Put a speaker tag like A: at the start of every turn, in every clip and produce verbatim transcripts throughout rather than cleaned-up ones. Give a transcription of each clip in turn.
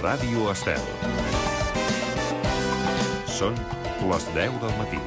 A: Ràdio Estel. Són les deu del matí.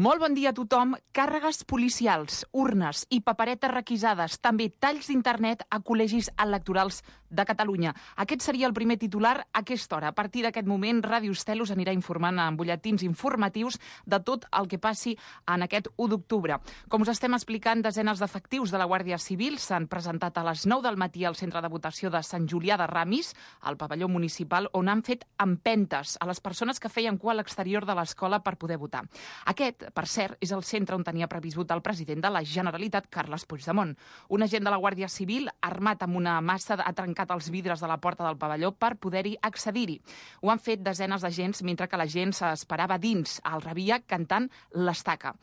B: Molt bon dia a tothom. Càrregues policials, urnes i paperetes requisades, també talls d'internet a col·legis electorals de Catalunya. Aquest seria el primer titular a aquesta hora. A partir d'aquest moment, Ràdio Estel us anirà informant en butlletins informatius de tot el que passi en aquest u d'octubre. Com us estem explicant, desenes d'efectius de la Guàrdia Civil s'han presentat a les nou del matí al centre de votació de Sant Julià de Ramis, al pavelló municipal, on han fet empentes a les persones que feien cua a l'exterior de l'escola per poder votar. Aquest, per cert, és el centre on tenia previst votar el president de la Generalitat, Carles Puigdemont. Un agent de la Guàrdia Civil, armat amb una massa, ha trencat els vidres de la porta del pavelló per poder-hi accedir-hi. Ho han fet desenes d'agents mentre que la gent s'esperava dins, al rebia, cantant l'estaca.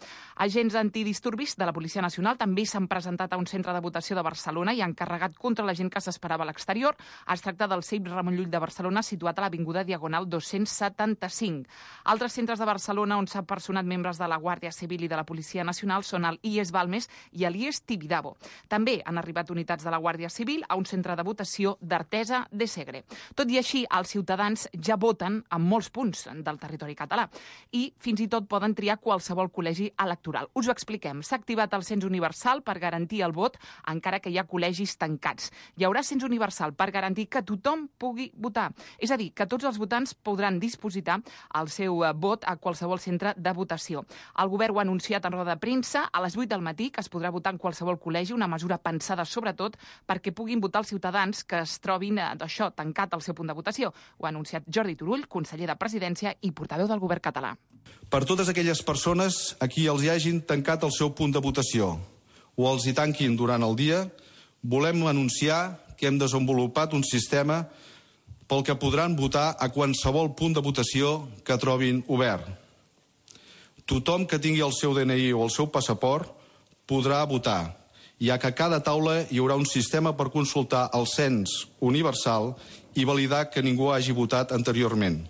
B: Agents antidisturbis de la Policia Nacional també s'han presentat a un centre de votació de Barcelona i han carregat contra la gent que s'esperava a l'exterior. Es tracta del C I B Ramon Llull de Barcelona, situat a l'Avinguda Diagonal dos-cents setanta-cinc. Altres centres de Barcelona on s'han personat membres de la Guàrdia Civil i de la Policia Nacional són el I E S Balmes i el I E S Tibidabo. També han arribat unitats de la Guàrdia Civil a un centre de votació d'Artesa de Segre. Tot i així, els ciutadans ja voten en molts punts del territori català i fins i tot poden triar qualsevol col·legi electoral. Us ho expliquem. S'ha activat el cens universal per garantir el vot encara que hi ha col·legis tancats. Hi haurà cens universal per garantir que tothom pugui votar. És a dir, que tots els votants podran dispositar el seu vot a qualsevol centre de votació. El govern ho ha anunciat en roda de premsa a les vuit del matí, que es podrà votar en qualsevol col·legi, una mesura pensada sobretot perquè puguin votar els ciutadans que es trobin d'això tancat al seu punt de votació. Ho ha anunciat Jordi Turull, conseller de Presidència i portaveu del govern català.
C: Per totes aquelles persones a qui els hi hagin tancat el seu punt de votació o els hi tanquin durant el dia, volem anunciar que hem desenvolupat un sistema pel que podran votar a qualsevol punt de votació que trobin obert. Tothom que tingui el seu D N I o el seu passaport podrà votar, ja que a cada taula hi haurà un sistema per consultar el cens universal i validar que ningú hagi votat anteriorment.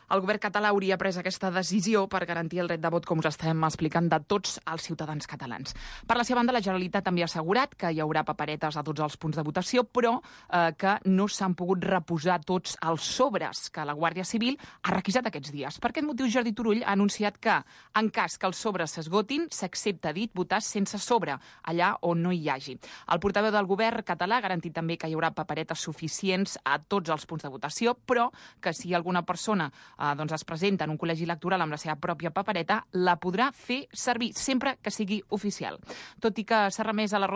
B: El govern català hauria pres aquesta decisió per garantir el dret de vot, com us estem explicant, de tots els ciutadans catalans. Per la seva banda, la Generalitat també ha assegurat que hi haurà paperetes a tots els punts de votació, però eh, que no s'han pogut reposar tots els sobres que la Guàrdia Civil ha requisat aquests dies. Per aquest motiu, Jordi Turull ha anunciat que, en cas que els sobres s'esgotin, s'accepta dit votar sense sobre, allà on no hi hagi. El portaveu del govern català ha garantit també que hi haurà paperetes suficients a tots els punts de votació, però que si alguna persona Eh, doncs es presenta en un col·legi electoral amb la seva pròpia papereta, la podrà fer servir sempre que sigui oficial. Tot i que s'ha remès a la roda